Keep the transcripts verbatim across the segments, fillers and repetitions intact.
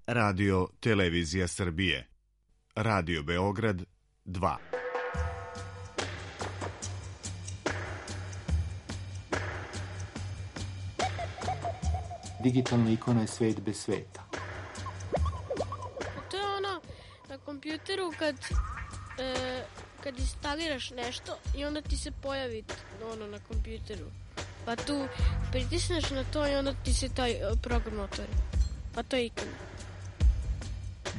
Radio Televizija Srbije. Radio Beograd dva. Digitalna ikona je svet bez sveta. To je ono na kompjuteru kad, e, kad instaliraš nešto i onda ti se pojavi ono na kompjuteru. Pa tu pritisneš na to i onda ti se taj program otvori. Pa to je ikona.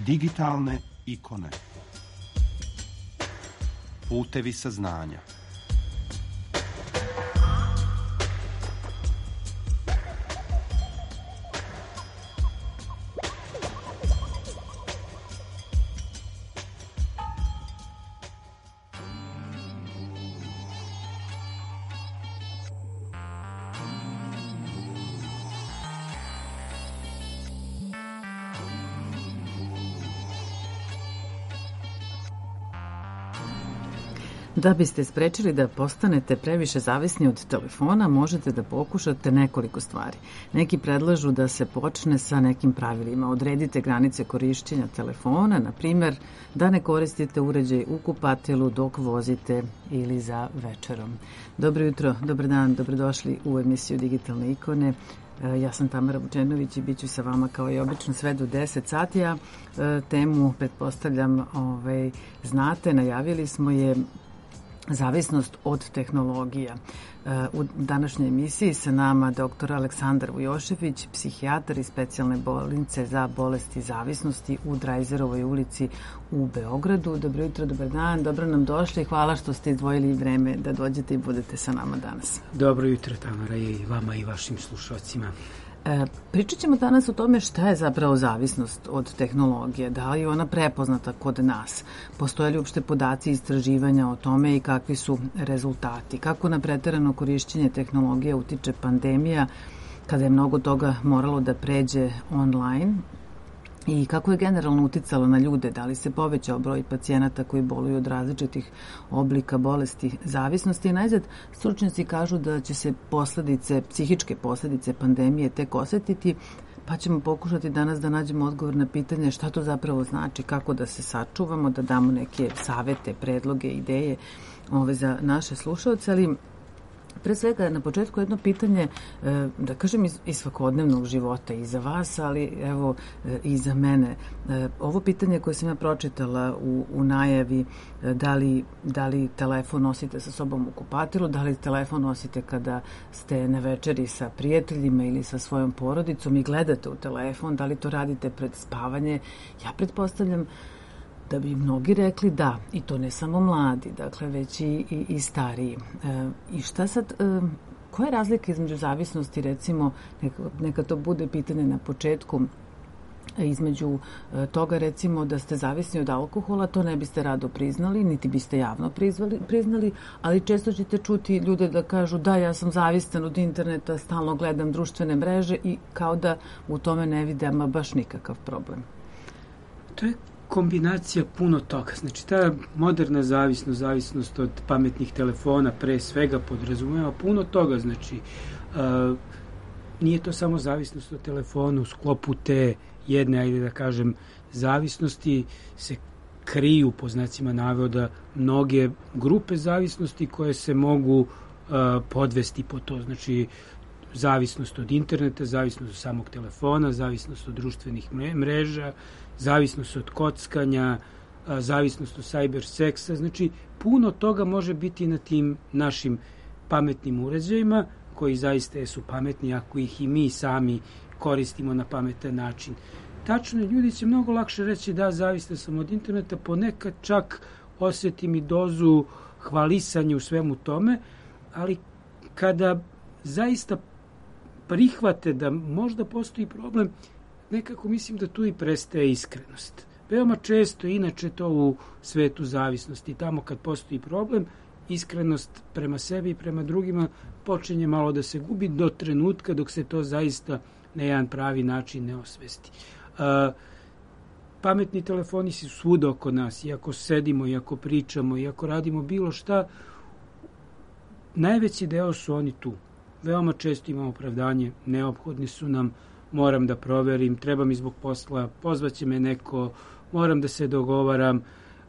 Digitalne ikone. Putevi saznanja. Da biste sprečili da postanete previše zavisni od telefona, možete da pokušate nekoliko stvari. Neki predlažu da se počne sa nekim pravilima. Odredite granice korišćenja telefona, na primjer da ne koristite uređaj u kupatilu dok vozite ili za večerom. Dobro jutro, dobar dan, dobrodošli u emisiju Digitalne ikone. Ja sam Tamara Vučenović i bit ću sa vama kao i obično sve do deset sati. Ja temu, pretpostavljam, ovaj, znate, najavili smo je zavisnost od tehnologija. U današnjoj emisiji sa nama doktor Aleksandar Vujošević, psihijatar iz specijalne bolnice za bolesti zavisnosti u Drajzerovoj ulici u Beogradu. Dobro jutro, dobar dan, dobro nam došli. Hvala što ste izdvojili vreme da dođete i budete sa nama danas. Dobro jutro, Tamara, i vama i vašim slušalcima. E, pričat ćemo danas o tome šta je zapravo zavisnost od tehnologije, da li je ona prepoznata kod nas, postoje li uopšte podaci istraživanja o tome i kakvi su rezultati, kako na preterano korišćenje tehnologije utiče pandemija kada je mnogo toga moralo da pređe online i kako je generalno uticalo na ljude, da li se povećao broj pacijenata koji boluju od različitih oblika bolesti zavisnosti. I najzad, stručnjaci kažu da će se posledice, psihičke posledice pandemije tek osetiti, pa ćemo pokušati danas da nađemo odgovor na pitanje šta to zapravo znači, kako da se sačuvamo, da damo neke savete, predloge, ideje ove za naše slušalce, ali pre svega, na početku jedno pitanje, da kažem, iz, iz svakodnevnog života i za vas, ali evo i za mene. Ovo pitanje koje sam ja pročitala u, u najavi, da li, da li telefon nosite sa sobom u kupatilu, da li telefon nosite kada ste na večeri sa prijateljima ili sa svojom porodicom i gledate u telefon, da li to radite pred spavanje, ja pretpostavljam da bi mnogi rekli da, i to ne samo mladi, dakle već i, i, i stariji. E, I šta sad, e, koja je razlika između zavisnosti, recimo, neka, neka to bude pitanje na početku, između e, toga recimo da ste zavisni od alkohola, to ne biste rado priznali, niti biste javno prizvali, priznali, ali često ćete čuti ljude da kažu da, ja sam zavistan od interneta, stalno gledam društvene mreže i kao da u tome ne vide ama baš nikakav problem. To je kombinacija puno toga. Znači, ta moderna zavisnost, zavisnost od pametnih telefona pre svega podrazumeva puno toga. Znači, uh, nije to samo zavisnost od telefona, u sklopu te jedne, ajde da kažem, zavisnosti se kriju, po znacima navoda, mnoge grupe zavisnosti koje se mogu uh, podvesti po to. Znači, zavisnost od interneta, zavisnost od samog telefona, zavisnost od društvenih mreža, zavisnost od kockanja, zavisnost od cyber seksa. Znači, puno toga može biti na tim našim pametnim uređajima, koji zaista su pametni ako ih i mi sami koristimo na pametan način. Tačno, ljudi će mnogo lakše reći da, zavistan sam od interneta, ponekad čak osetim i dozu hvalisanja u svemu tome, ali kada zaista prihvate da možda postoji problem, nekako mislim da tu i prestaje iskrenost. Veoma često, inače to u svetu zavisnosti, tamo kad postoji problem, iskrenost prema sebi i prema drugima počinje malo da se gubi do trenutka dok se to zaista na jedan pravi način ne osvesti. Uh, pametni telefoni su svuda oko nas, iako sedimo, iako pričamo, iako radimo bilo šta, najveći deo su oni tu. Veoma često imamo opravdanje, neophodni su nam, moram da proverim, treba mi zbog posla, pozvaće me neko, moram da se dogovaram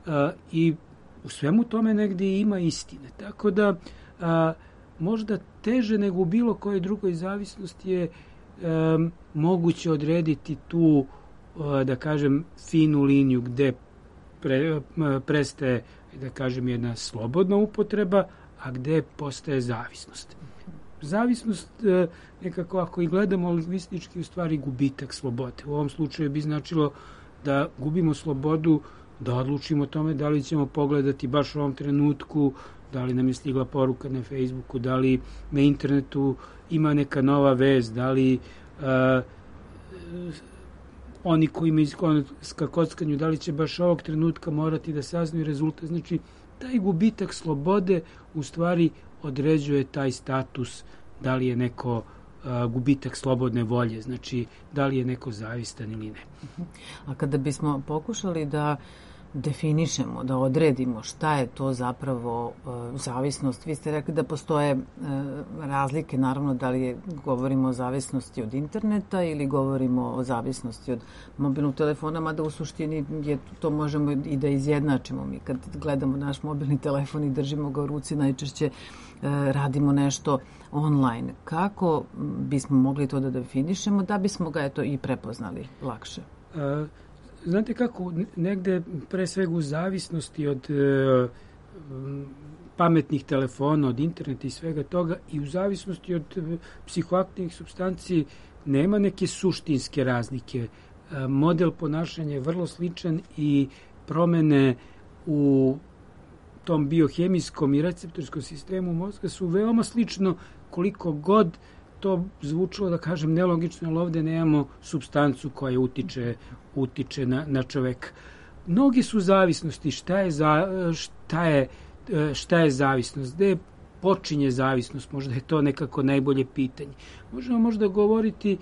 a, i u svemu tome negdje ima istine. Tako da a, možda teže nego u bilo kojoj drugoj zavisnosti je a, moguće odrediti tu, a, da kažem, finu liniju gde pre, a, prestaje, da kažem, jedna slobodna upotreba, a gde postaje zavisnost. Zavisnost, a, nekako ako i gledamo lingvistički, u stvari gubitak slobode. U ovom slučaju bi značilo da gubimo slobodu da odlučimo o tome da li ćemo pogledati baš u ovom trenutku, da li nam je stigla poruka na Facebooku, da li na internetu ima neka nova vez, da li uh, oni koji imaju ka kockanju, da li će baš ovog trenutka morati da saznaju rezultat. Znači, taj gubitak slobode u stvari određuje taj status, da li je neko uh, gubitak slobodne volje, znači da li je neko zavistan ili ne. A kada bismo pokušali da definišemo, da odredimo šta je to zapravo e, zavisnost. Vi ste rekli da postoje e, razlike, naravno, da li je, govorimo o zavisnosti od interneta ili govorimo o zavisnosti od mobilnog telefona, mada u suštini je, to možemo i da izjednačimo. Mi kad gledamo naš mobilni telefon i držimo ga u ruci, najčešće e, radimo nešto online. Kako bismo mogli to da definišemo da bismo ga eto i prepoznali lakše? A... Znate kako, negde pre svega u zavisnosti od e, pametnih telefona, od interneta i svega toga i u zavisnosti od e, psihoaktivnih supstanci nema neke suštinske razlike. E, model ponašanja je vrlo sličan i promene u tom biohemijskom i receptorskom sistemu mozga su veoma slično koliko god to zvučilo, da kažem, nelogično, ali ovde nemamo supstancu koja utiče, utiče na, na čoveka. Mnogi su zavisnosti. Šta je, za, šta je, šta je zavisnost? Gde počinje zavisnost? Možda je to nekako najbolje pitanje. Možemo možda govoriti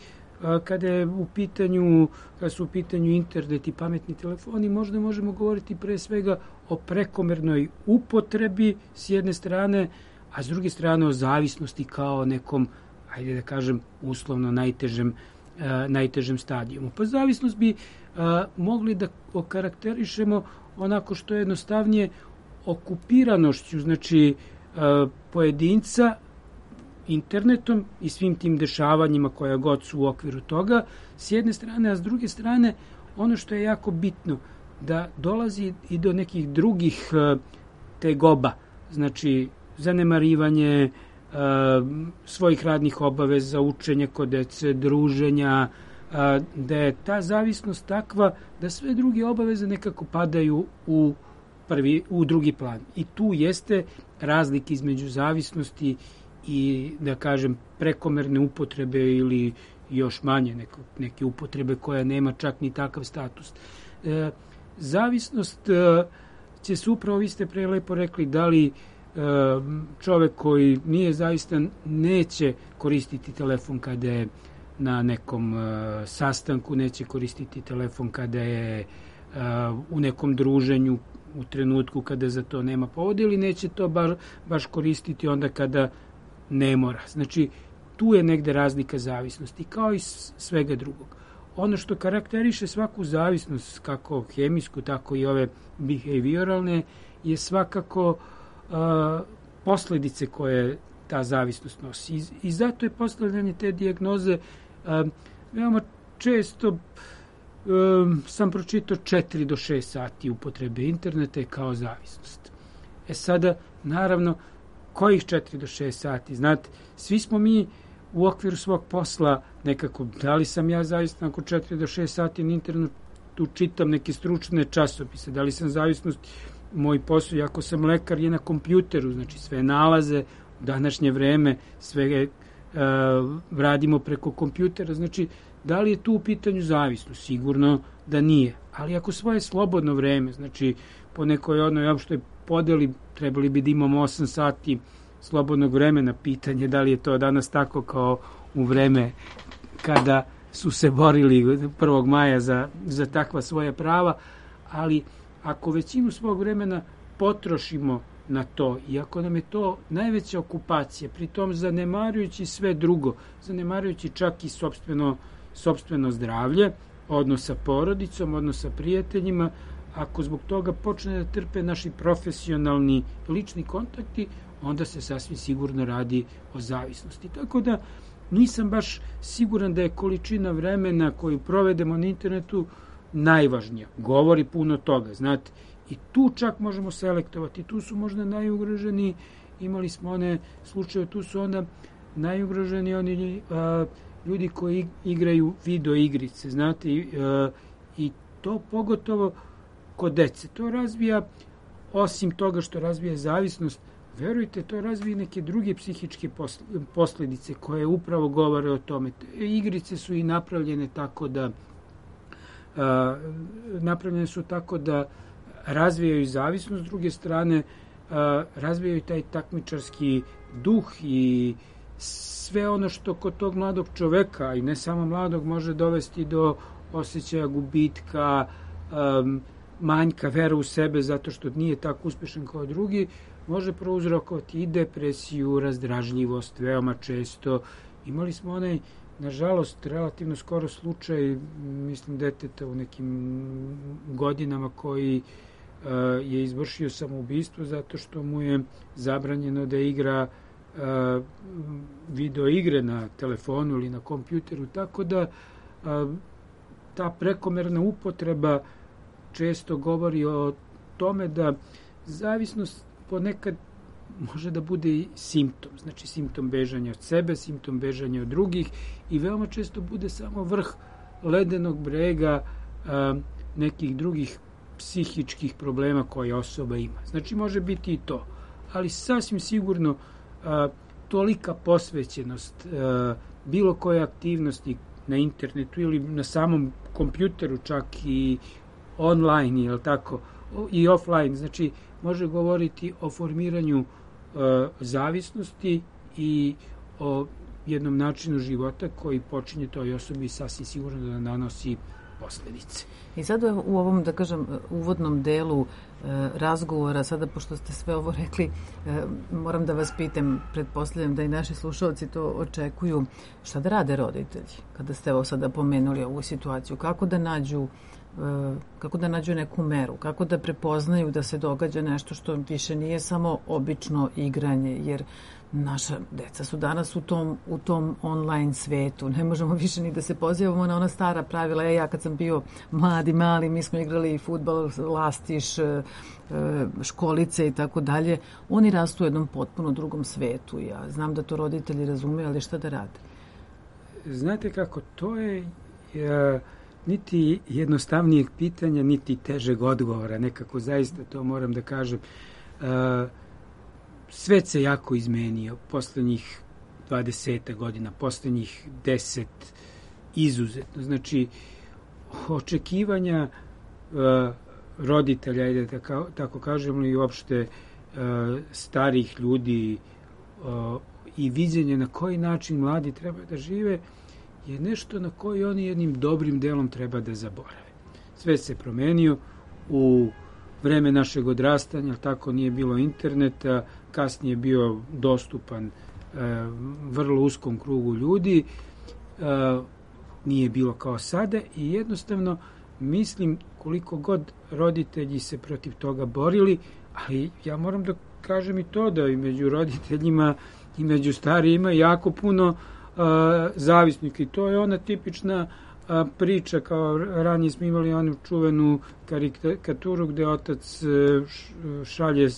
kada je u pitanju, kada su u pitanju internet i pametni telefoni, možda možemo govoriti pre svega o prekomernoj upotrebi s jedne strane, a s druge strane o zavisnosti kao nekom, ajde da kažem, uslovno najtežem, uh, najtežem stadijumu. Pa zavisnost bi uh, mogli da okarakterišemo onako što je jednostavnije okupiranošću, znači uh, pojedinca internetom i svim tim dešavanjima koja god su u okviru toga, s jedne strane, a s druge strane, ono što je jako bitno, da dolazi i do nekih drugih uh, tegoba, znači zanemarivanje Uh, svojih radnih obaveza, učenja kod dece, druženja, uh, da je ta zavisnost takva da sve druge obaveze nekako padaju u, prvi, u drugi plan. I tu jeste razlika između zavisnosti i, da kažem, prekomerne upotrebe ili još manje neko, neke upotrebe koja nema čak ni takav status. Uh, zavisnost uh, će se upravo, vi ste pre lepo rekli, da li čovek koji nije zaista neće koristiti telefon kada je na nekom uh, sastanku, neće koristiti telefon kada je uh, u nekom druženju u trenutku kada za to nema povoda ili neće to baš, baš koristiti onda kada ne mora. Znači, tu je negde razlika zavisnosti, kao i svega drugog. Ono što karakteriše svaku zavisnost, kako hemijsku, tako i ove behavioralne, je svakako Uh, posledice koje ta zavisnost nosi. I, i zato je postavljanje te dijagnoze uh, veoma često um, sam pročitao četiri do šest sati upotrebe interneta kao zavisnost. E sada, naravno, kojih četiri do šest sati? Znate, svi smo mi u okviru svog posla nekako, da li sam ja zavistan ako četiri do šest sati na internetu čitam neke stručne časopise, da li sam zavisnost moj posao, ako sam lekar, je na kompjuteru, znači sve nalaze u današnje vreme, sve uh, radimo preko kompjutera, znači da li je tu u pitanju zavisnost? Sigurno da nije, ali ako svoje slobodno vreme, znači po nekoj onoj opštoj podeli trebali bi da imamo osam sati slobodnog vremena, pitanje da li je to danas tako kao u vreme kada su se borili prvog maja za, za takva svoja prava, ali ako većinu svog vremena potrošimo na to i ako nam je to najveća okupacija, pritom zanemarujući sve drugo, zanemarujući čak i sopstveno sopstveno zdravlje, odnos sa porodicom, odnos sa prijateljima, ako zbog toga počne da trpe naši profesionalni lični kontakti, onda se sasvim sigurno radi o zavisnosti. Tako da nisam baš siguran da je količina vremena koju provedemo na internetu najvažnija. Govori puno toga, znate. I tu čak možemo selektovati. Tu su možda najugroženi, imali smo one slučaje, tu su onda najugroženi oni a, ljudi koji igraju video igrice, znate, i, a, i to pogotovo kod dece. To razvija, osim toga što razvija zavisnost, verujte, to razvija neke druge psihičke posljedice koje upravo govore o tome. Igrice su i napravljene tako da a, napravljene su tako da razvijaju zavisnost, s druge strane a, razvijaju taj takmičarski duh i sve ono što kod tog mladog čoveka, i ne samo mladog, može dovesti do osjećaja gubitka, um, manjka vera u sebe zato što nije tako uspešan kao drugi, može prouzrokovati i depresiju, razdražljivost, veoma često. Imali smo onaj, nažalost, relativno skoro slučaj, mislim, deteta u nekim godinama koji uh, je izvršio samoubistvo zato što mu je zabranjeno da igra uh, video igre na telefonu ili na kompjuteru, tako da uh, ta prekomerna upotreba često govori o tome da zavisnost ponekad može da bude i simptom, znači simptom bežanja od sebe, simptom bežanja od drugih i veoma često bude samo vrh ledenog brega a, nekih drugih psihičkih problema koje osoba ima. Znači može biti i to, ali sasvim sigurno a, tolika posvećenost a, bilo koje aktivnosti na internetu ili na samom kompjuteru čak i online, jel tako, i offline, znači može govoriti o formiranju e, zavisnosti i o jednom načinu života koji počinje toj osobi sasvim sigurno da nanosi posledice. I sad u ovom, da kažem, uvodnom delu e, razgovora, sada pošto ste sve ovo rekli, e, moram da vas pitam, pretpostavljam da i naši slušalci to očekuju, šta da rade roditelji kada ste ovo sada pomenuli ovu situaciju, kako da nađu kako da nađu neku meru, kako da prepoznaju da se događa nešto što više nije samo obično igranje, jer naša deca su danas u tom, u tom online svetu. Ne možemo više ni da se pozivamo na ona stara pravila. E, ja kad sam bio mladi, mali, mi smo igrali fudbal, lastiš, školice i tako dalje. Oni rastu u jednom potpuno drugom svetu. Ja znam da to roditelji razumeju, ali šta da rade? Znate kako, to je... Ja... niti jednostavnijeg pitanja, niti težeg odgovora. Nekako zaista to moram da kažem. E, svet se jako izmenio poslednjih dvadeset godina, poslednjih deset izuzetno. Znači, očekivanja e, roditelja, ajde tako, tako kažemo, i uopšte e, starih ljudi e, i viđenje na koji način mladi treba da žive je nešto na koji oni jednim dobrim delom treba da zaborave. Sve se promenio u vreme našeg odrastanja, tako nije bilo interneta, kasnije bio dostupan e, vrlo uskom krugu ljudi, e, nije bilo kao sada i jednostavno mislim koliko god roditelji se protiv toga borili, ali ja moram da kažem i to da i među roditeljima i među starijima jako puno Uh, zavisnika i to je ona tipična uh, priča, kao ranije smo imali onu čuvenu karikaturu gde otac uh, šalje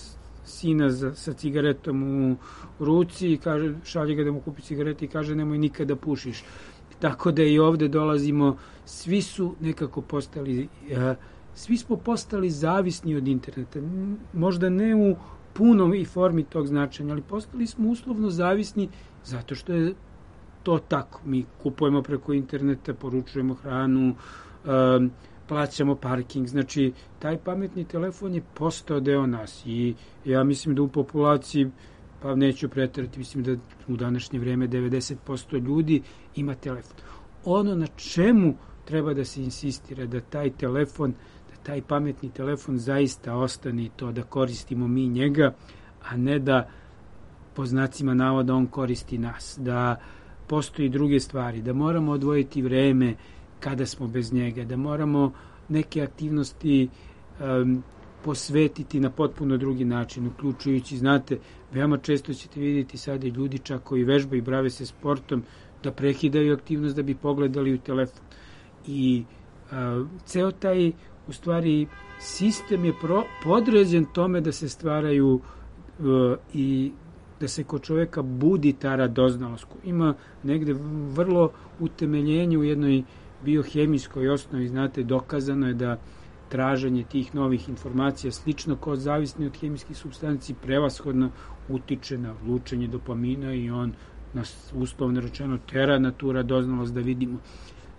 sina za, sa cigaretom u ruci i kaže, šalje ga da mu kupi cigarete i kaže nemoj nikada pušiš. Tako da i ovde dolazimo, svi su nekako postali, uh, svi smo postali zavisni od interneta. Možda ne u punom i formi tog značenja, ali postali smo uslovno zavisni zato što je to tako. Mi kupujemo preko interneta, poručujemo hranu, um, plaćamo parking. Znači, taj pametni telefon je postao deo nas i ja mislim da u populaciji, pa neću preterati, mislim da u današnje vreme devedeset posto ljudi ima telefon. Ono na čemu treba da se insistira da taj telefon, da taj pametni telefon zaista ostane i to da koristimo mi njega, a ne da po znacima navoda on koristi nas. Da postoji druge stvari, da moramo odvojiti vreme kada smo bez njega, da moramo neke aktivnosti um, posvetiti na potpuno drugi način, uključujući, znate, veoma često ćete vidjeti sada i ljudi čak koji vežbaju i brave se sportom, da prekidaju aktivnost da bi pogledali u telefon. I a, ceo taj, u stvari, sistem je pro, podređen tome da se stvaraju a, i da se kod čoveka budi ta radoznalost. Ima negde vrlo utemeljenje u jednoj biohemijskoj osnovi, znate, dokazano je da traženje tih novih informacija, slično kao zavisni od hemijskih supstanci, prevashodno utiče na lučenje dopamina i on nas uslovno rečeno tera na tu radoznalost da vidimo.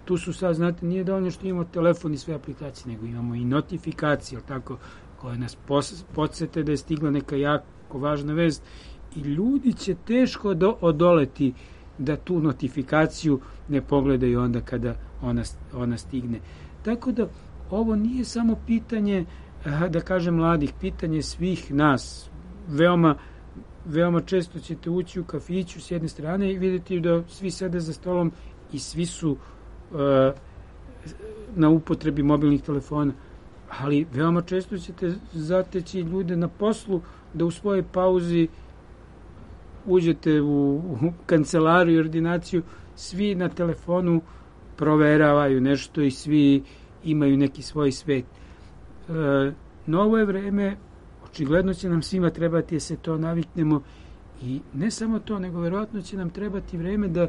Tu su sad, znate, nije dovoljno što imamo telefon i sve aplikacije, nego imamo i notifikacije, tako, koje nas podsete da je stigla neka jako važna vest i ljudi će teško do, odoleti da tu notifikaciju ne pogledaju onda kada ona, ona stigne. Tako da ovo nije samo pitanje, da kažem, mladih, pitanje svih nas. Veoma, veoma često ćete ući u kafiću s jedne strane i vidjeti da svi sede za stolom i svi su uh, na upotrebi mobilnih telefona. Ali veoma često ćete zateći ljude na poslu da u svojoj pauzi uđete u, u kancelariju i ordinaciju, svi na telefonu proveravaju nešto i svi imaju neki svoj svet. E, novo je vreme, očigledno će nam svima trebati da se to naviknemo i ne samo to, nego verovatno će nam trebati vreme da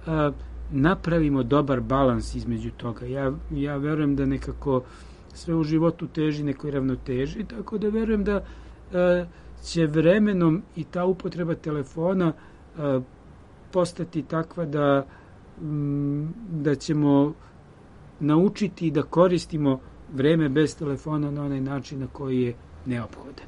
a, napravimo dobar balans između toga. Ja, ja verujem da nekako sve u životu teži nekoj ravnoteži, tako da verujem da a, će vremenom i ta upotreba telefona a, postati takva da, m, da ćemo naučiti da koristimo vreme bez telefona na onaj način na koji je neophodan.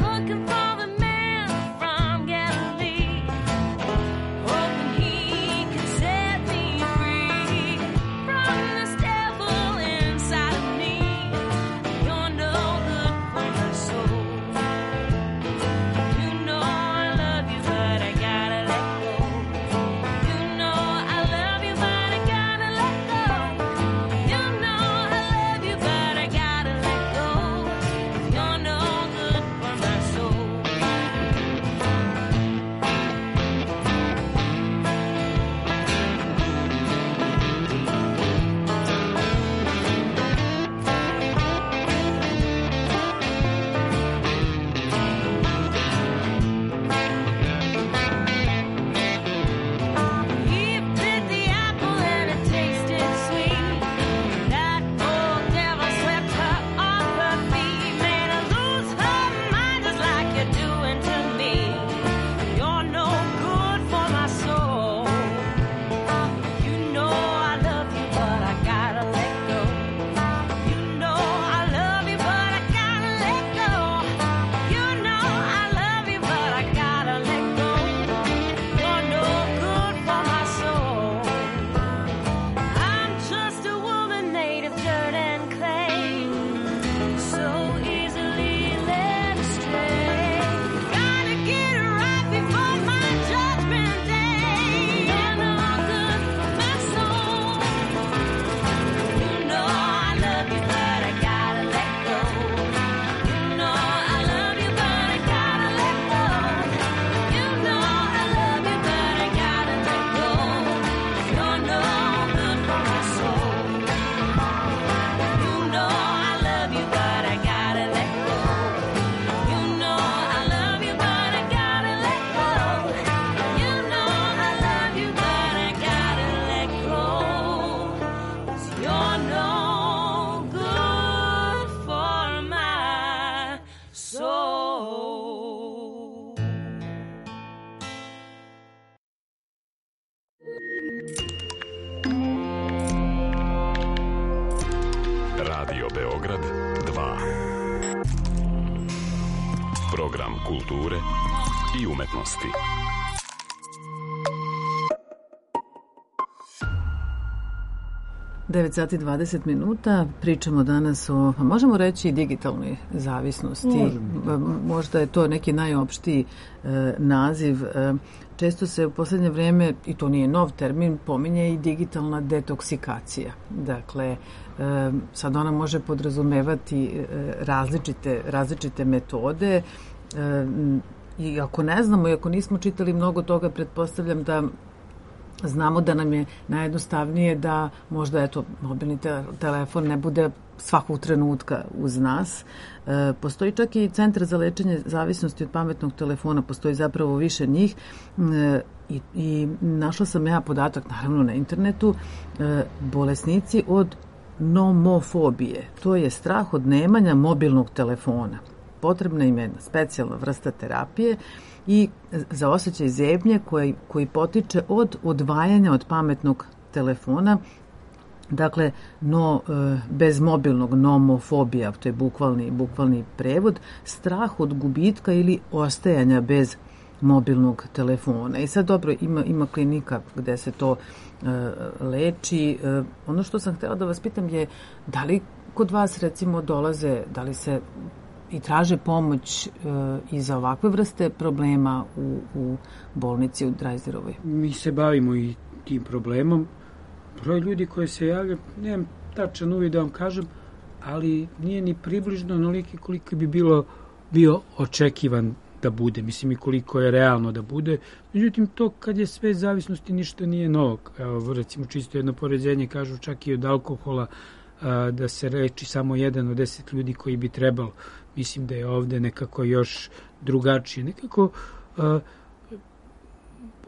Looking for the man from Program kulture i umetnosti. devet sati dvadeset minuta, pričamo danas o, a možemo reći, digitalnoj zavisnosti. Možemo. Možda je to neki najopštiji e, naziv. E, često se u poslednje vreme, i to nije nov termin, pominje i digitalna detoksikacija. Dakle, e, sad ona može podrazumevati e, različite, različite metode e, i ako ne znamo i ako nismo čitali mnogo toga, pretpostavljam da znamo da nam je najjednostavnije da možda eto, mobilni te- telefon ne bude svakog trenutka uz nas. E, postoji čak i centar za lečenje zavisnosti od pametnog telefona, postoji zapravo više njih e, i, i našla sam ja podatak, naravno na internetu, e, bolesnici od nomofobije. To je strah od nemanja mobilnog telefona. Potrebna im je specijalna vrsta terapije i za osjećaj zebnje koji, koji potiče od odvajanja od pametnog telefona. Dakle, no, bez mobilnog, nomofobija, to je bukvalni, bukvalni prevod, strah od gubitka ili ostajanja bez mobilnog telefona. I sad dobro, ima, ima klinika gde se to e, leči. E, ono što sam htjela da vas pitam je, da li kod vas recimo dolaze, da li se i traže pomoć e, i za ovakve vrste problema u, u bolnici u Drajzerovoj? Mi se bavimo i tim problemom. Broj ljudi koji se javlja, nemam tačan uvid da vam kažem, ali nije ni približno onoliki koliko bi bilo bio očekivan da bude. Mislim i koliko je realno da bude. Međutim, to kad je sve zavisnosti ništa nije novo. Evo, recimo čisto jedno poređenje, kažu čak i od alkohola a, da se leči samo jedan od deset ljudi koji bi trebalo. Mislim da je ovde nekako još drugačije. Nekako, a,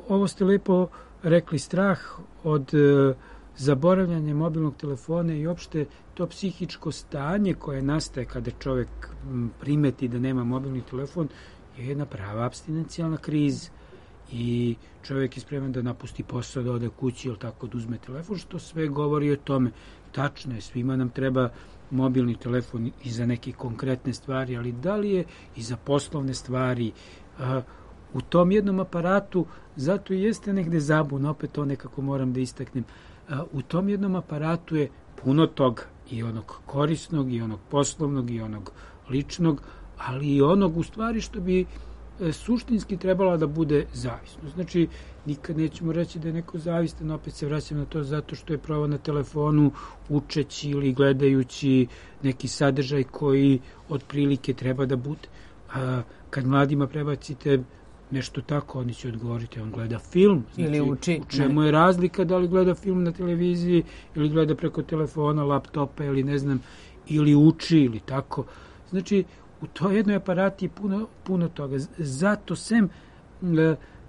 ovo ste lepo rekli, strah od a, zaboravljanja mobilnog telefona i opšte to psihičko stanje koje nastaje kada čovjek m, primeti da nema mobilni telefon je jedna prava apstinencijalna kriza. I čovjek je spreman da napusti posao, da ode kući ili tako da uzme telefon, što sve govori o tome. Tačno je, svima nam treba mobilni telefon i za neke konkretne stvari, ali da li je i za poslovne stvari? A, u tom jednom aparatu, zato i jeste negde zabuna, opet to nekako moram da istaknem, a, u tom jednom aparatu je puno toga, i onog korisnog, i onog poslovnog, i onog ličnog, ali i onog u stvari što bi e, suštinski trebala da bude zavisno. Znači, nikad nećemo reći da je neko zavistan, opet se vraćam na to zato što je pravo na telefonu učeći ili gledajući neki sadržaj koji otprilike treba da bude. A kad mladima prebacite nešto tako, oni će odgovoriti, on gleda film. Znači, ili uči. U čemu je razlika da li gleda film na televiziji ili gleda preko telefona, laptopa ili ne znam, ili uči ili tako. Znači, u toj jednoj aparati je puno, puno toga. Zato sem,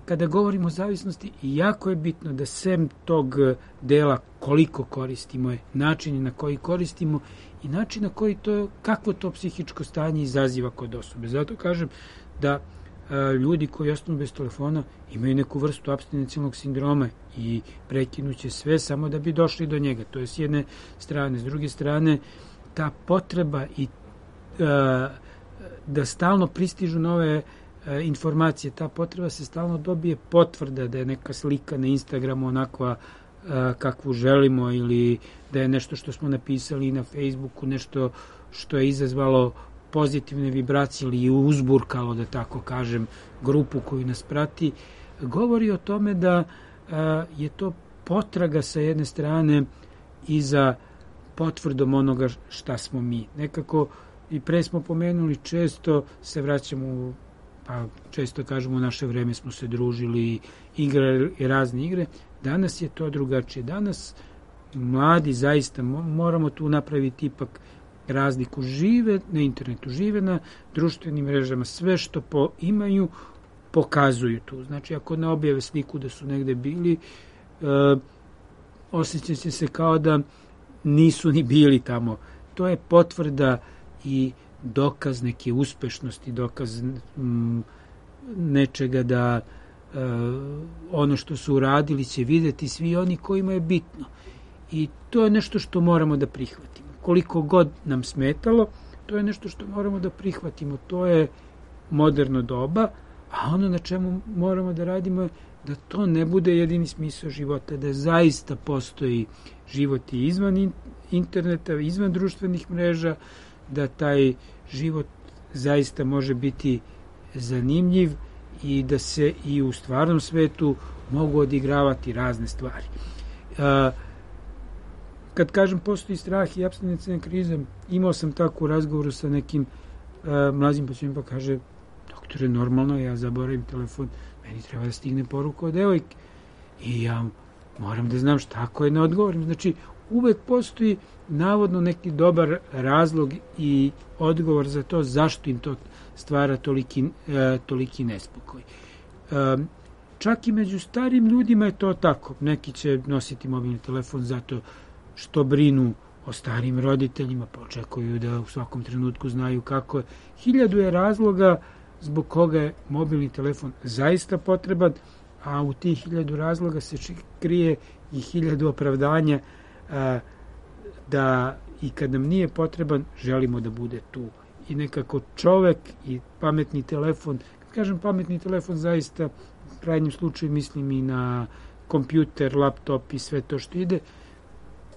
kada govorimo o zavisnosti, jako je bitno da sem tog dela koliko koristimo je, način na koji koristimo i način na koji to, kakvo to psihičko stanje izaziva kod osobe. Zato kažem da a, ljudi koji ostanu bez telefona imaju neku vrstu apstinencijalnog sindroma i prekinuće sve samo da bi došli do njega. To je s jedne strane. S druge strane, ta potreba i a, da stalno pristižu nove e, informacije, ta potreba se stalno dobije potvrda da je neka slika na Instagramu onakva e, kakvu želimo ili da je nešto što smo napisali na Facebooku, nešto što je izazvalo pozitivne vibracije ili uzburkalo, da tako kažem, grupu koju nas prati, govori o tome da e, je to potraga sa jedne strane i za potvrdom onoga šta smo mi. Nekako i pre smo pomenuli, često se vraćamo, pa često kažemo u naše vreme smo se družili, igrali razne igre. Danas je to drugačije. Danas mladi zaista moramo tu napraviti ipak razliku. Žive na internetu, žive na društvenim mrežama, sve što po imaju pokazuju tu. Znači, ako ne objave sliku da su negde bili, e, osjeća će se kao da nisu ni bili tamo. To je potvrda i dokaz neke uspešnosti, dokaz m, nečega da e, ono što su uradili će videti svi oni kojima je bitno. I to je nešto što moramo da prihvatimo. Koliko god nam smetalo, to je nešto što moramo da prihvatimo. To je moderno doba, a ono na čemu moramo da radimo je da to ne bude jedini smisao života, da zaista postoji život i izvan interneta, izvan društvenih mreža, da taj život zaista može biti zanimljiv i da se i u stvarnom svetu mogu odigravati razne stvari. Kad kažem postoji strah i apstinencija kriza, imao sam tako u razgovoru sa nekim mlađim pacijentom, pa kaže, doktore, normalno, ja zaboravim telefon, meni treba da stigne poruka od devojke i ja moram da znam šta ako je ne odgovorim. Znači, uvek postoji navodno neki dobar razlog i odgovor za to zašto im to stvara toliki, e, toliki nespokoj. E, čak i među starim ljudima je to tako. Neki će nositi mobilni telefon zato što brinu o starim roditeljima, pa očekuju da u svakom trenutku znaju kako je. Hiljadu je razloga zbog koga je mobilni telefon zaista potreban, a u tih hiljadu razloga se krije i hiljadu opravdanja a, da i kad nam nije potreban, želimo da bude tu. I nekako čovek i pametni telefon, kad kažem pametni telefon, zaista u krajnjem slučaju mislim i na kompjuter, laptop i sve to što ide,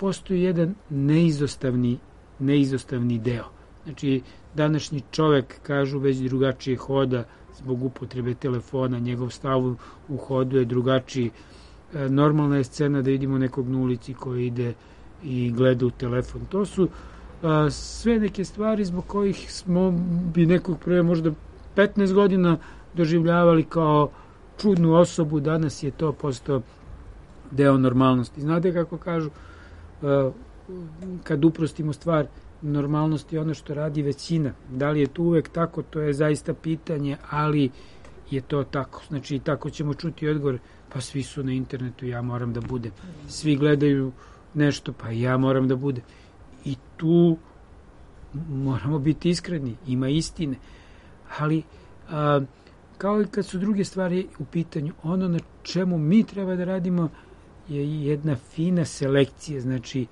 postoji jedan neizostavni, neizostavni deo. Znači, današnji čovek, kažu, već drugačije hoda zbog upotrebe telefona, njegov stav u hodu je drugačiji. E, normalna je scena da vidimo nekog na ulici koji ide i gleda u telefon. To su a, sve neke stvari zbog kojih smo bi nekog pre možda petnaest godina doživljavali kao čudnu osobu, danas je to postao deo normalnosti. Znate kako kažu, a, kad uprostimo stvar, normalnost je ono što radi većina. Da li je to uvek tako, to je zaista pitanje, ali je to tako. Znači, tako ćemo čuti odgovor, pa svi su na internetu, ja moram da budem. Svi gledaju nešto, pa ja moram da budem. I tu moramo biti iskreni, ima istine. Ali, a, kao i kad su druge stvari u pitanju, ono na čemu mi treba da radimo je jedna fina selekcija, znači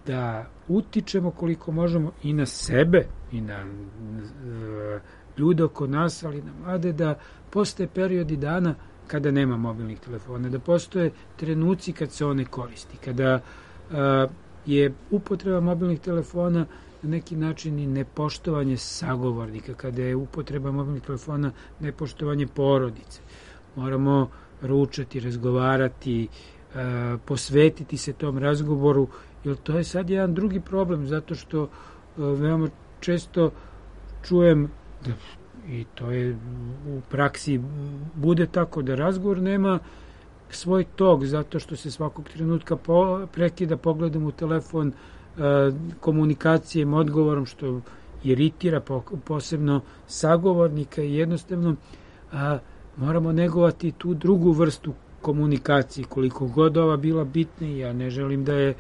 da utičemo koliko možemo i na sebe i na uh, ljude oko nas, ali na mlade, da postoje periodi dana kada nema mobilnih telefona, da postoje trenuci kad se one koristi, kada uh, je upotreba mobilnih telefona na neki način i nepoštovanje sagovornika, kada je upotreba mobilnih telefona nepoštovanje porodice. Moramo ručati, razgovarati, uh, posvetiti se tom razgovoru, jer to je sad jedan drugi problem, zato što uh, veoma često čujem da, i to je u praksi bude tako, da razgovor nema svoj tok, zato što se svakog trenutka po, prekida pogledom u telefon, uh, komunikacijom, odgovorom, što iritira po, posebno sagovornika i jednostavno uh, moramo negovati tu drugu vrstu komunikacije, koliko god ova bila bitna. Ja ne želim da je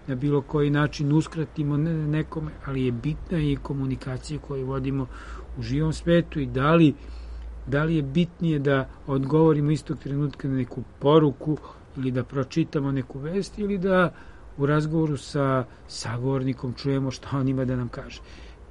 na bilo koji način uskratimo nekome, ali je bitna i komunikacija koju vodimo u živom svetu i da li, da li je bitnije da odgovorimo istog trenutka na neku poruku ili da pročitamo neku vest ili da u razgovoru sa sagovornikom čujemo šta on ima da nam kaže.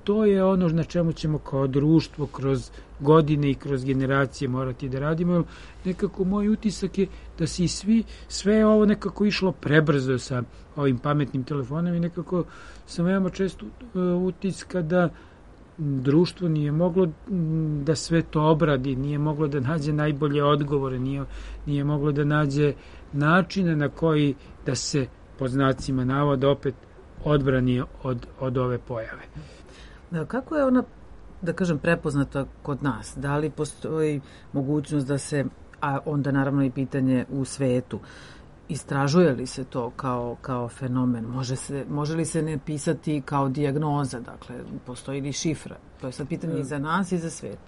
To je ono na čemu ćemo kao društvo kroz godine i kroz generacije morati da radimo. Nekako moj utisak je da se i svi, sve je ovo nekako išlo prebrzo sa ovim pametnim telefonom i nekako sam veoma često utiska da društvo nije moglo da sve to obradi, nije moglo da nađe najbolje odgovore, nije, nije moglo da nađe načine na koji da se pod znacima navoda opet odbrani od, od ove pojave. Kako je ona, da kažem, prepoznata kod nas? Da li postoji mogućnost da se, a onda naravno i pitanje u svetu, istražuje li se to kao, kao fenomen? Može, se, može li se ne pisati kao dijagnoza? Dakle, postoji li šifra? To je sad pitanje i za nas i za svet.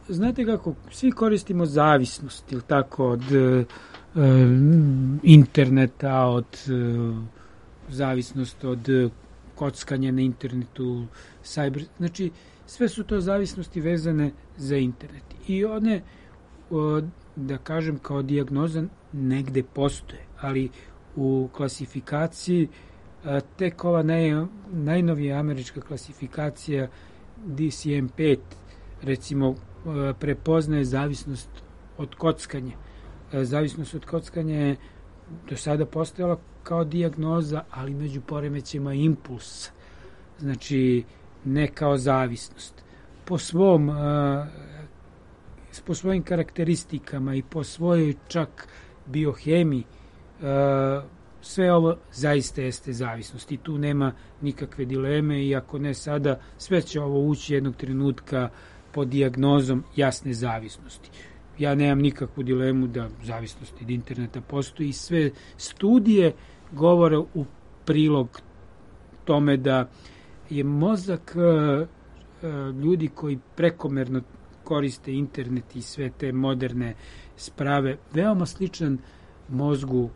Znate kako, svi koristimo zavisnost, ili tako, od e, interneta, od e, zavisnost od kockanja na internetu, cyber, znači sve su to zavisnosti vezane za internet. I one, da kažem, kao dijagnoza negde postoje, ali u klasifikaciji tek ova naj, najnovija američka klasifikacija D C M pet, recimo, prepoznaje zavisnost od kockanja. Zavisnost od kockanja je do sada postojala kao dijagnoza, ali među poremećima impuls. Znači, ne kao zavisnost. Po svom, po svojim karakteristikama i po svojoj čak biohemiji, sve ovo zaista jeste zavisnost i tu nema nikakve dileme i ako ne sada, sve će ovo ući jednog trenutka pod dijagnozom jasne zavisnosti. Ja nemam nikakvu dilemu da zavisnost od interneta postoji i sve studije govore u prilog tome da je mozak ljudi koji prekomerno koriste internet i sve te moderne sprave veoma sličan mozgu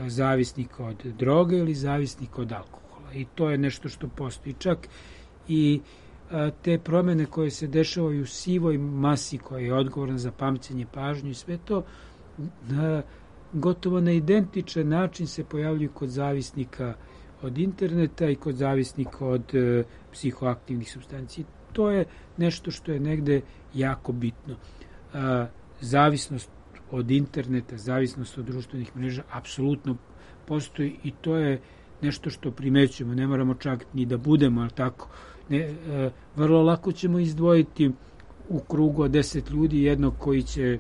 zavisnika od droge ili zavisnika od alkohola. I to je nešto što postoji. Čak i a, te promene koje se dešavaju u sivoj masi koja je odgovorna za pamćenje, pažnju i sve to, a, gotovo na identičan način se pojavljuju kod zavisnika od interneta i kod zavisnika od e, psihoaktivnih supstanci. To je nešto što je negde jako bitno. A, zavisnost od interneta, zavisnost od društvenih mreža apsolutno postoji i to je nešto što primećujemo. Ne moramo čak ni da budemo, ali tako. Ne, e, vrlo lako ćemo izdvojiti u krugu od deset ljudi jednog koji će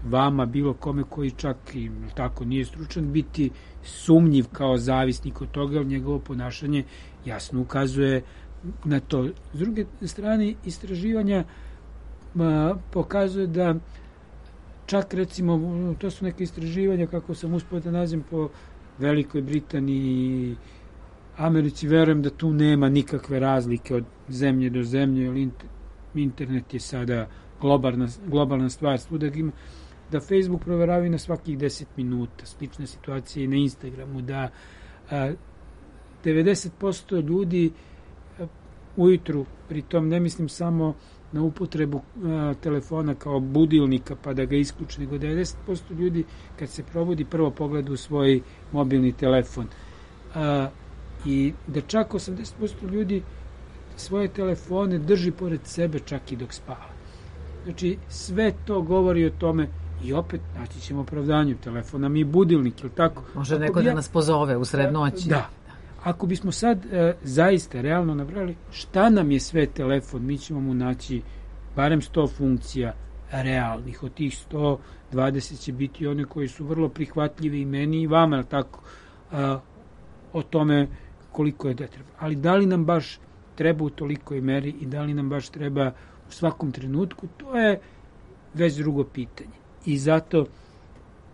vama, bilo kome koji čak i tako nije stručan, biti sumnjiv kao zavisnik od toga, jer njegovo ponašanje jasno ukazuje na to. S druge strane, istraživanja a, pokazuje da čak recimo, to su neke istraživanja, kako sam uspio da nađem po Velikoj Britaniji, Americi, verujem da tu nema nikakve razlike od zemlje do zemlje, jer internet je sada globalna, globalna stvar, svuda ima, da Facebook proveravaju na svakih deset minuta, slična situacija i na Instagramu, da a, devedeset posto ljudi a, ujutru, pritom ne mislim samo na upotrebu a, telefona kao budilnika pa da ga isključi, nego devedeset posto ljudi kad se probudi prvo pogleda u svoj mobilni telefon. A, I da čak osamdeset posto ljudi svoje telefone drži pored sebe čak i dok spava. Znači, sve to govori o tome i opet naći ćemo opravdanju. Telefon nam je budilnik, ili tako? Može neko ja, da nas pozove u sred noći. Da. Ako bismo sad e, zaista realno nabrali šta nam je sve telefon, mi ćemo mu naći barem sto funkcija realnih. Od tih sto dvadeset će biti one koji su vrlo prihvatljive i meni i vama, ili tako? A, o tome koliko je da treba. Ali da li nam baš treba u tolikoj meri i da li nam baš treba u svakom trenutku, to je već drugo pitanje. I zato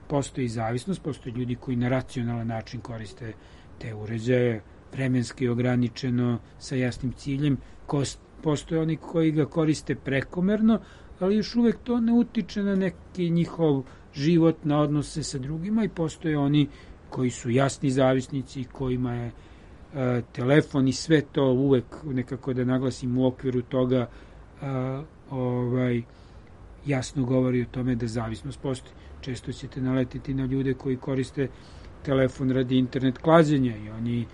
postoji zavisnost, postoji ljudi koji na racionalan način koriste te uređaje, vremenski ograničeno, sa jasnim ciljem. Postoje oni koji ga koriste prekomerno, ali još uvek to ne utiče na neki njihov život, na odnose sa drugima i postoje oni koji su jasni zavisnici, kojima je e, telefon i sve to uvek, nekako da naglasim, u okviru toga a, ovaj, jasno govori o tome da zavisnost postoji. Često ćete naletiti na ljude koji koriste telefon radi internet klađenja i oni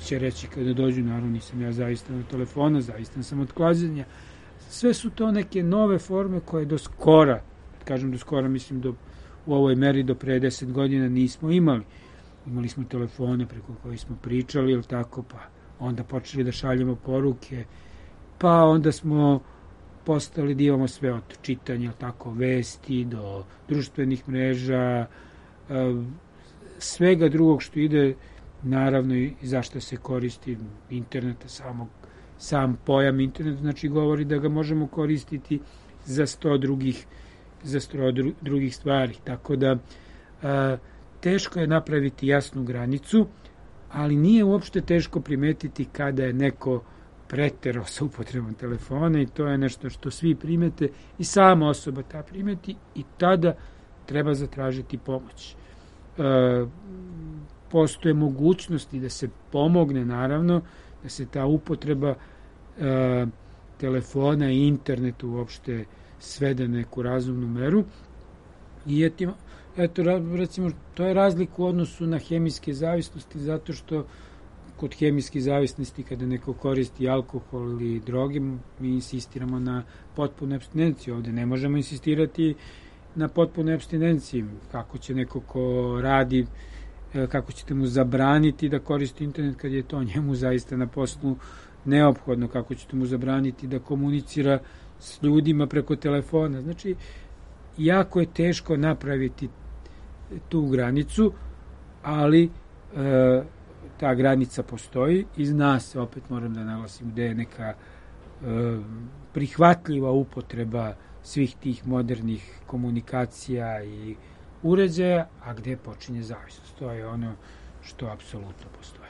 će reći kada dođu, naravno nisam ja zavistan od telefona, zavistan sam od klađenja. Sve su to neke nove forme koje do skora, kažem do skora, mislim do, u ovoj meri do pre deset godina nismo imali. Imali smo telefone preko kojih smo pričali, ili tako, pa onda počeli da šaljemo poruke, pa onda smo postali da imamo sve od čitanja, tako, vesti, do društvenih mreža, svega drugog što ide, naravno i zašto se koristi interneta, samog, sam pojam internet, znači govori da ga možemo koristiti za sto drugih, za sto drugih stvari, tako da a, teško je napraviti jasnu granicu, ali nije uopšte teško primetiti kada je neko preterao sa upotrebom telefona i to je nešto što svi primete i sama osoba ta primeti i tada treba zatražiti pomoć. E, postoje mogućnosti da se pomogne, naravno, da se ta upotreba e, telefona i interneta uopšte svede na neku razumnu meru i eto, eto, recimo, to je razlika u odnosu na hemijske zavisnosti zato što kod hemijskih zavisnosti, kada neko koristi alkohol ili droge, mi insistiramo na potpunu apstinenciju. Ovde ne možemo insistirati na potpunu apstinenciju. Kako će neko ko radi, kako ćete mu zabraniti da koristi internet kad je to njemu zaista na poslu neophodno, kako ćete mu zabraniti da komunicira s ljudima preko telefona. Znači, jako je teško napraviti tu granicu, ali e, ta granica postoji i zna se, opet moram da naglasim, gde je neka e, prihvatljiva upotreba svih tih modernih komunikacija i uređaja, a gde počinje zavisnost. To je ono što apsolutno postoji.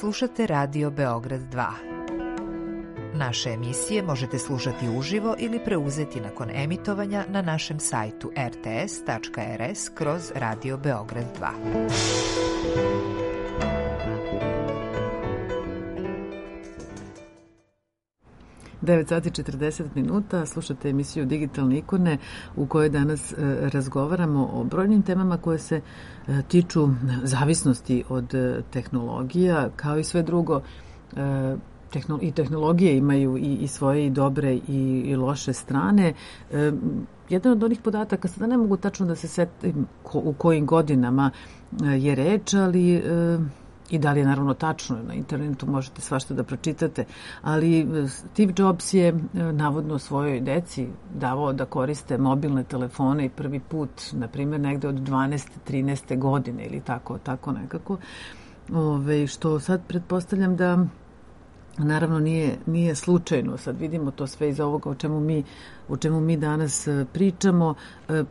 Slušate Radio Beograd dva. Naše emisije možete slušati uživo ili preuzeti nakon emitovanja na našem sajtu er te es tačka er es kroz Radio Beograd dva. devet sati četrdeset minuta, slušate emisiju Digitalne ikone u kojoj danas e, razgovaramo o brojnim temama koje se e, tiču zavisnosti od e, tehnologija, kao i sve drugo. E, tehno, I tehnologije imaju i, i svoje i dobre i, i loše strane. E, jedan od onih podataka, sada ne mogu tačno da se setim ko, u kojim godinama e, je reč, ali... E, i da li je naravno tačno, na internetu možete svašta da pročitate, ali Steve Jobs je navodno svojoj deci davao da koriste mobilne telefone i prvi put, na primjer, negde od dvanaeste trinaeste godine ili tako, tako nekako. Ove, što sad pretpostavljam da naravno nije, nije slučajno. Sad vidimo to sve iz ovoga o čemu mi, o čemu mi danas pričamo.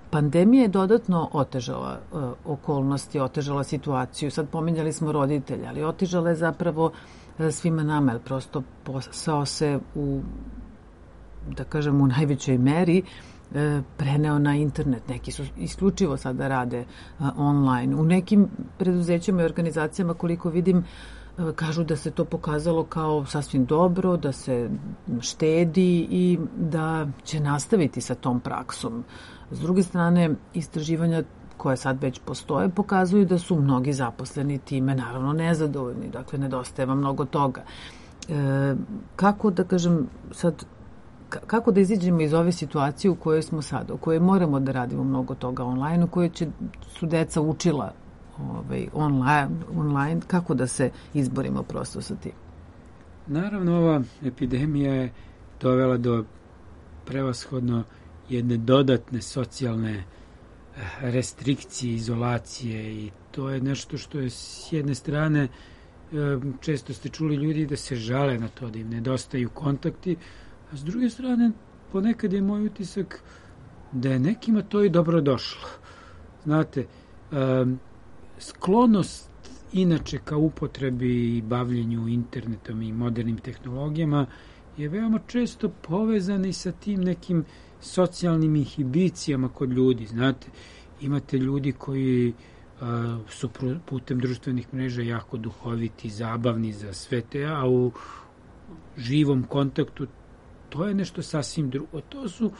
Pandemija je dodatno otežala okolnosti, otežala situaciju. Sad pominjali smo roditelja, ali otežala je zapravo svima nama, jer prosto posao se u, da kažem, u najvećoj meri preneo na internet. Neki su isključivo sada rade online. U nekim preduzećima i organizacijama, koliko vidim, kažu da se to pokazalo kao sasvim dobro, da se štedi i da će nastaviti sa tom praksom. S druge strane, istraživanja koje sad već postoje pokazuju da su mnogi zaposleni time naravno nezadovoljni, dakle nedostaje vam mnogo toga. E, kako da kažem sad, kako da iziđemo iz ove situacije u kojoj smo sada, u kojoj moramo da radimo mnogo toga online, u kojoj će, su deca učila Ovaj, online, online, kako da se izborimo prosto sa tim? Naravno, ova epidemija je dovela do prevashodno jedne dodatne socijalne restrikcije, izolacije, i to je nešto što je s jedne strane, često ste čuli ljudi da se žale na to, da im nedostaju kontakti, a s druge strane ponekad je moj utisak da je nekima to i dobro došlo. Znate, um, sklonost inače ka upotrebi i bavljenju internetom i modernim tehnologijama je veoma često povezana i sa tim nekim socijalnim inhibicijama kod ljudi. Znate, imate ljudi koji uh, su putem društvenih mreža jako duhoviti, zabavni za sve te, a u živom kontaktu to je nešto sasvim drugo. To su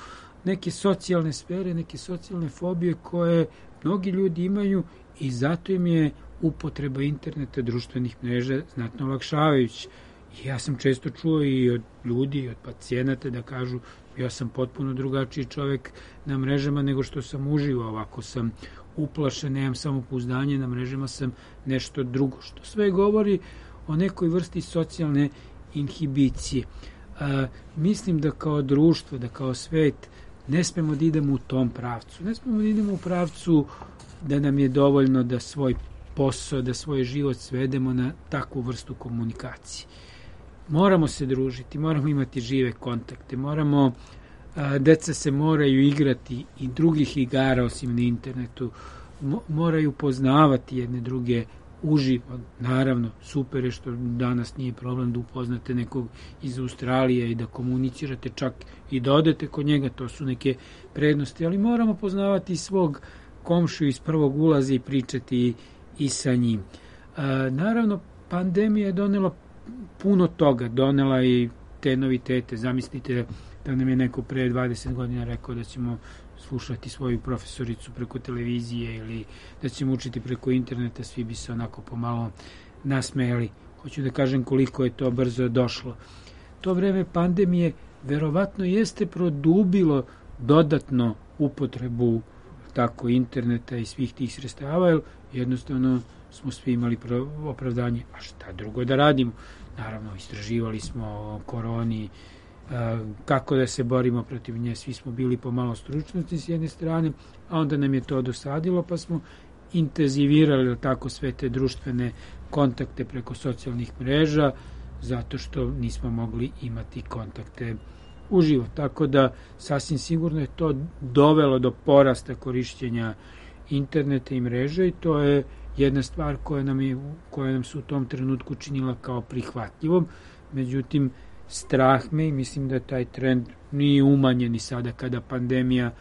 neke socijalne sfere, neke socijalne fobije koje mnogi ljudi imaju i zato im je upotreba interneta, društvenih mreža znatno olakšavajući. I ja sam često čuo i od ljudi, i od pacijenata da kažu ja sam potpuno drugačiji čovek na mrežama nego što sam uživao. Ovako sam uplašen, nemam samopouzdanje, na mrežama sam nešto drugo. Što sve govori o nekoj vrsti socijalne inhibicije. A, mislim da kao društvo, da kao svet ne smemo da idemo u tom pravcu. Ne smemo da idemo u pravcu da nam je dovoljno da svoj posao, da svoj život svedemo na takvu vrstu komunikacije. Moramo se družiti, moramo imati žive kontakte, moramo, a, deca se moraju igrati i drugih igara osim na internetu, mo, moraju poznavati jedne druge uživo. Naravno, super je što danas nije problem da upoznate nekog iz Australije i da komunicirate, čak i da odete kod njega, to su neke prednosti, ali moramo poznavati svog komšiju iz prvog ulaza i pričati i, i sa njim. E, naravno, pandemija je donela puno toga, donela i te novitete. Zamislite da nam je neko pre dvadeset godina rekao da ćemo slušati svoju profesoricu preko televizije ili da ćemo učiti preko interneta, svi bi se onako pomalo nasmejali. Hoću da kažem koliko je to brzo došlo. To vreme pandemije verovatno jeste produbilo dodatno upotrebu tako interneta i svih tih sredstava, jer jednostavno smo svi imali opravdanje, a šta drugo da radimo? Naravno, istraživali smo o koroni, kako da se borimo protiv nje, svi smo bili pomalo stručnosti s jedne strane, a onda nam je to dosadilo, pa smo intenzivirali tako sve te društvene kontakte preko socijalnih mreža, zato što nismo mogli imati kontakte uživo. Tako da sasvim sigurno je to dovelo do porasta korišćenja interneta i mreže i to je jedna stvar koja nam, je, koja nam se u tom trenutku činila kao prihvatljivom. Međutim, strah me i mislim da taj trend nije umanjen i sada kada pandemija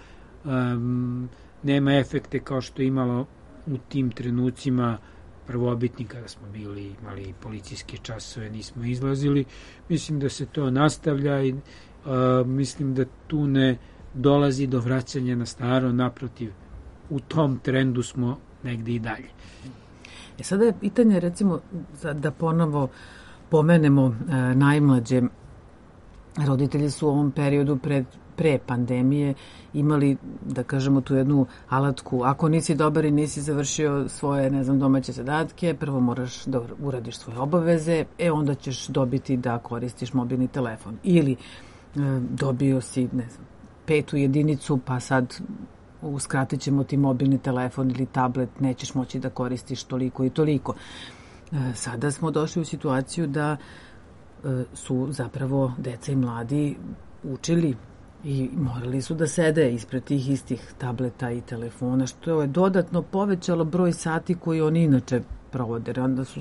um, nema efekte kao što je imalo u tim trenucima prvobitni kada smo bili, imali policijske časove, nismo izlazili. Mislim da se to nastavlja i uh, mislim da tu ne dolazi do vraćanja na staro, naprotiv, u tom trendu smo negde i dalje. E sada je pitanje, recimo, da ponovo pomenemo e, najmlađe. Roditelji su u ovom periodu pred, pre pandemije imali, da kažemo, tu jednu alatku. Ako nisi dobar i nisi završio svoje, ne znam, domaće zadatke, prvo moraš da uradiš svoje obaveze, e onda ćeš dobiti da koristiš mobilni telefon. Ili e, dobio si, ne znam, petu jedinicu, pa sad uskratit ćemo ti mobilni telefon ili tablet, nećeš moći da koristiš toliko i toliko. E, sada smo došli u situaciju da e, su zapravo deca i mladi učili i morali su da sede ispred tih istih tableta i telefona, što je dodatno povećalo broj sati koji oni inače provode. Onda su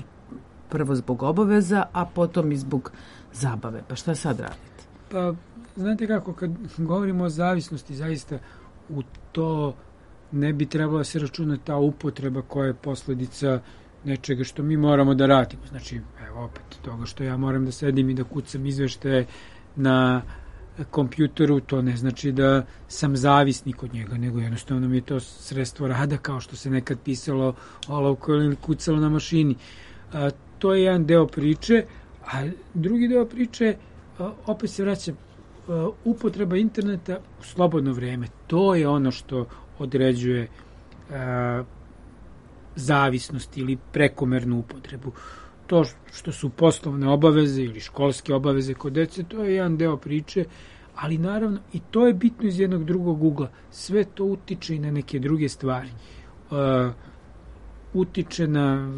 prvo zbog obaveza, a potom i zbog zabave. Pa šta sad radite? Pa, znate kako, kad govorimo o zavisnosti, zaista u to ne bi trebalo se računati ta upotreba koja je posledica nečega što mi moramo da radimo. Znači, evo opet, toga što ja moram da sedim i da kucam izveštaje na kompjuteru, to ne znači da sam zavisnik od njega, nego jednostavno mi je to sredstvo rada, kao što se nekad pisalo olovko ili kucalo na mašini. A, to je jedan deo priče, a drugi deo priče, a, opet se vraćam, a, upotreba interneta u slobodno vreme. To je ono što određuje a, zavisnost ili prekomernu upotrebu. To što su poslovne obaveze ili školske obaveze kod dece, to je jedan deo priče, ali naravno i to je bitno iz jednog drugog ugla. Sve to utiče i na neke druge stvari. Uh, utiče na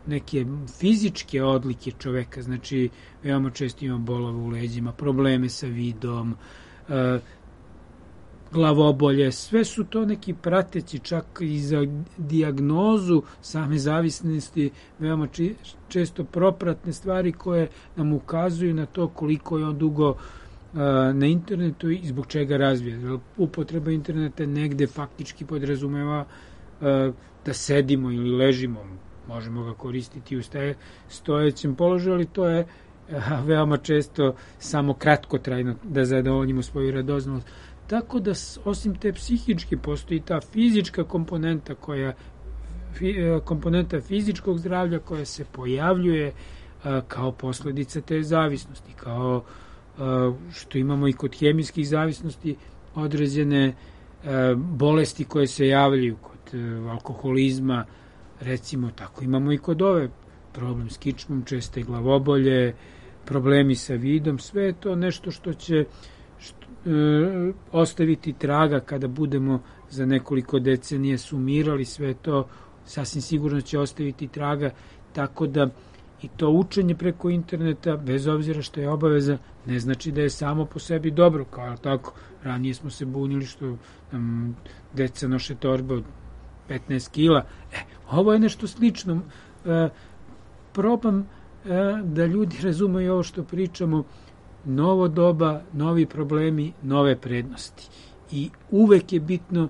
neke fizičke odlike čoveka, znači veoma često ima bolove u leđima, probleme sa vidom, uh, glavobolje, sve su to neki prateći, čak i za dijagnozu same zavisnosti, veoma či, često propratne stvari koje nam ukazuju na to koliko je on dugo uh, na internetu i zbog čega razvija. Upotreba interneta negde faktički podrazumeva uh, da sedimo ili ležimo, možemo ga koristiti u staje, stojećem položaju, ali to je uh, veoma često samo kratkotrajno da zadovoljimo svoju radoznost. Tako da osim te psihičke postoji ta fizička komponenta koja komponenta fizičkog zdravlja koja se pojavljuje a, kao posledica te zavisnosti, kao a, što imamo i kod hemijskih zavisnosti određene a, bolesti koje se javljaju kod a, alkoholizma, recimo, tako imamo i kod ove problem s kičmom, česte glavobolje, problemi sa vidom, sve je to nešto što će E, ostaviti traga kada budemo za nekoliko decenija sumirali sve to, sasvim sigurno će ostaviti traga, tako da i to učenje preko interneta, bez obzira što je obaveza, ne znači da je samo po sebi dobro, kao tako, ranije smo se bunili što um, deca noše torbe od petnaest kila, e, ovo je nešto slično, e, probam e, da ljudi razumeju ovo što pričamo, novo doba, novi problemi, nove prednosti. I uvek je bitno,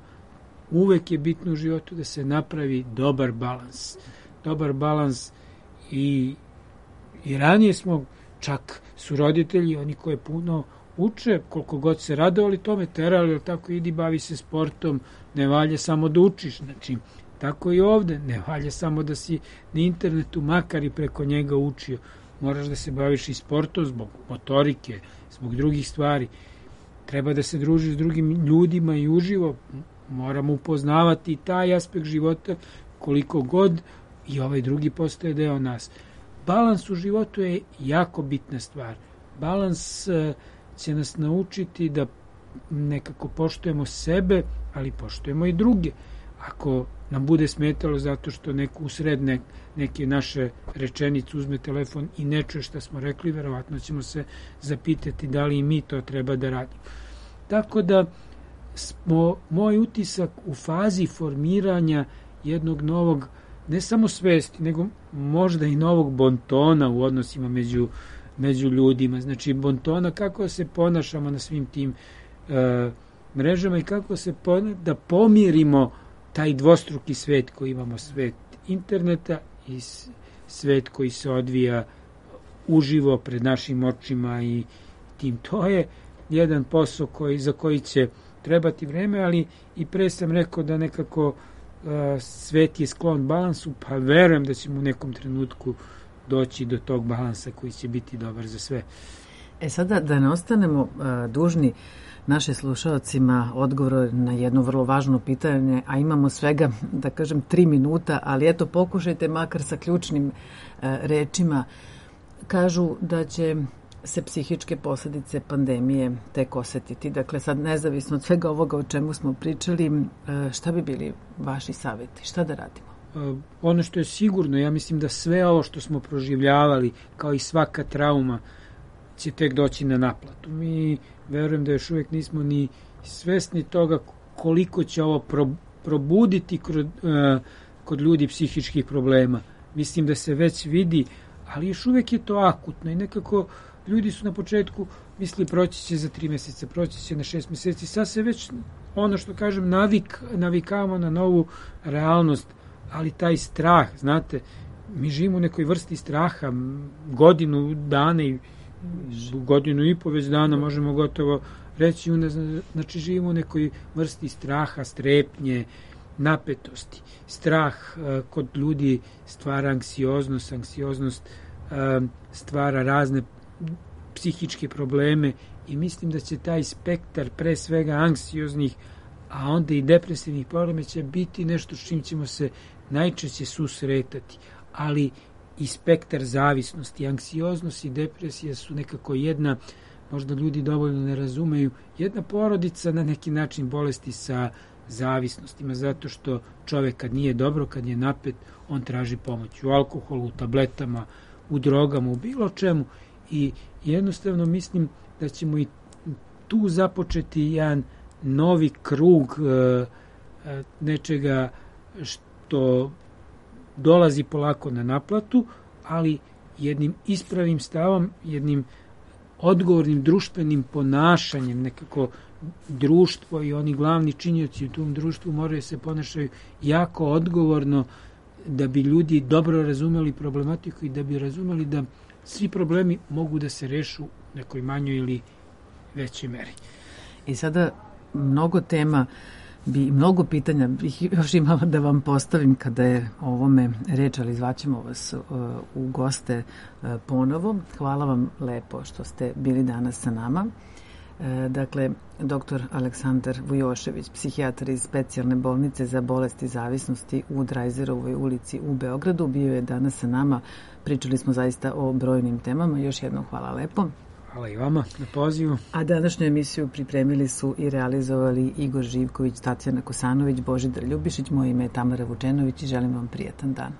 uvek je bitno u životu da se napravi dobar balans. Dobar balans i, i ranije smo, čak su roditelji, oni koji puno uče, koliko god se radovali tome, terali, tako idi, bavi se sportom, ne valja samo da učiš. Znači, tako i ovde, ne valja samo da si na internetu, makar i preko njega učio. Moraš da se baviš i sportom zbog motorike, zbog drugih stvari. Treba da se družiš s drugim ljudima i uživo. Moramo upoznavati taj aspekt života koliko god i ovaj drugi postaje deo nas. Balans u životu je jako bitna stvar. Balans će nas naučiti da nekako poštujemo sebe, ali poštujemo i druge. Ako nam bude smetalo zato što neko usred ne, neke naše rečenice uzme telefon i ne čuje šta smo rekli, verovatno ćemo se zapitati da li i mi to treba da radimo. Tako da smo, moj utisak u fazi formiranja jednog novog ne samo svesti, nego možda i novog bontona u odnosima među, među ljudima. Znači, bontona kako se ponašamo na svim tim e, mrežama i kako se pona, da pomirimo taj dvostruki svet koji imamo, svet interneta i svet koji se odvija uživo pred našim očima i tim. To je jedan posao koji, za koji će trebati vreme, ali i pre sam rekao da nekako uh, svet je sklon balansu, pa verujem da ćemo u nekom trenutku doći do tog balansa koji će biti dobar za sve. E sada da ne ostanemo uh, dužni naše slušalcima odgovor na jedno vrlo važno pitanje, a imamo svega, da kažem, tri minuta, ali eto, pokušajte makar sa ključnim uh, rečima. Kažu da će se psihičke posljedice pandemije tek osetiti. Dakle, sad nezavisno od svega ovoga o čemu smo pričali, šta bi bili vaši savjeti? Šta da radimo? Ono što je sigurno, ja mislim da sve ovo što smo proživljavali, kao i svaka trauma, će tek doći na naplatu. Mi verujem da još uvijek nismo ni svesni toga koliko će ovo probuditi kod, kod ljudi psihičkih problema. Mislim da se već vidi, ali još uvijek je to akutno i nekako ljudi su na početku mislili proći će za tri mjeseca, proći će na šest mjeseci. Sad se već, ono što kažem, navik, navikavamo na novu realnost, ali taj strah, znate, mi živimo u nekoj vrsti straha, godinu dana i godinu i po već dana možemo gotovo reći, znači živimo u nekoj vrsti straha, strepnje, napetosti. Strah uh, kod ljudi stvara anksioznost, anksioznost uh, stvara razne psihičke probleme i mislim da će taj spektar pre svega anksioznih, a onda i depresivnih problema će biti nešto s čim ćemo se najčešće susretati, ali i spektar zavisnosti, anksioznost i depresija su nekako jedna, možda ljudi dovoljno ne razumeju, jedna porodica na neki način bolesti sa zavisnostima, zato što čovjek kad nije dobro, kad je napet, on traži pomoć u alkoholu, u tabletama, u drogama, u bilo čemu i jednostavno mislim da ćemo i tu započeti jedan novi krug e, nečega što dolazi polako na naplatu, ali jednim ispravim stavom, jednim odgovornim društvenim ponašanjem, nekako društvo i oni glavni činioci u tom društvu moraju se ponašaju jako odgovorno da bi ljudi dobro razumeli problematiku i da bi razumeli da svi problemi mogu da se rešu u nekoj manjoj ili većoj meri. I sada mnogo tema bi, mnogo pitanja bih još imala da vam postavim kada je o ovome reč, ali zvaćemo vas uh, u goste uh, ponovo. Hvala vam lepo što ste bili danas sa nama. Dakle, doktor Aleksandar Vujošević, psihijatar iz specijalne bolnice za bolesti zavisnosti u Drajzerovoj ulici u Beogradu, bio je danas sa nama. Pričali smo zaista o brojnim temama. Još jednom hvala lepo. Hvala i vama na pozivu. A današnju emisiju pripremili su i realizovali Igor Živković, Tatjana Kosanović, Božidar Ljubišić. Moje ime je Tamara Vučenović i želim vam prijatan dan.